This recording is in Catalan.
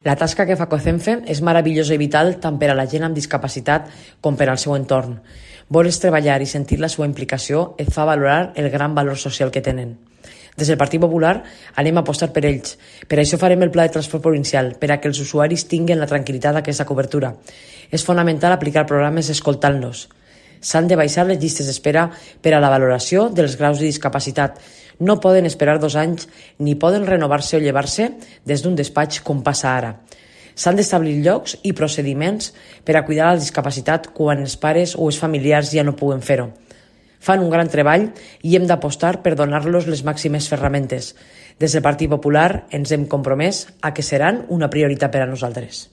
La tasca que fa COCENFE és meravellosa i vital tant per a la gent amb discapacitat com per al seu entorn. Voler treballar i sentir la seva implicació et fa valorar el gran valor social que tenen. Des del Partit Popular anem a apostar per ells. Per això farem el pla de transport provincial, per a que els usuaris tinguin la tranquil·litat d'aquesta cobertura. És fonamental aplicar programes escoltant-los. S'han de baixar les llistes d'espera per a la valoració dels graus de discapacitat. No poden esperar 2 anys ni poden renovar-se o llevar-se des d'un despatx com passa ara. S'han d'establir llocs i procediments per a cuidar la discapacitat quan els pares o els familiars ja no puguen fer-ho. Fan un gran treball i hem d'apostar per donar-los les màximes ferramentes. Des del Partit Popular ens hem compromès a que seran una prioritat per a nosaltres.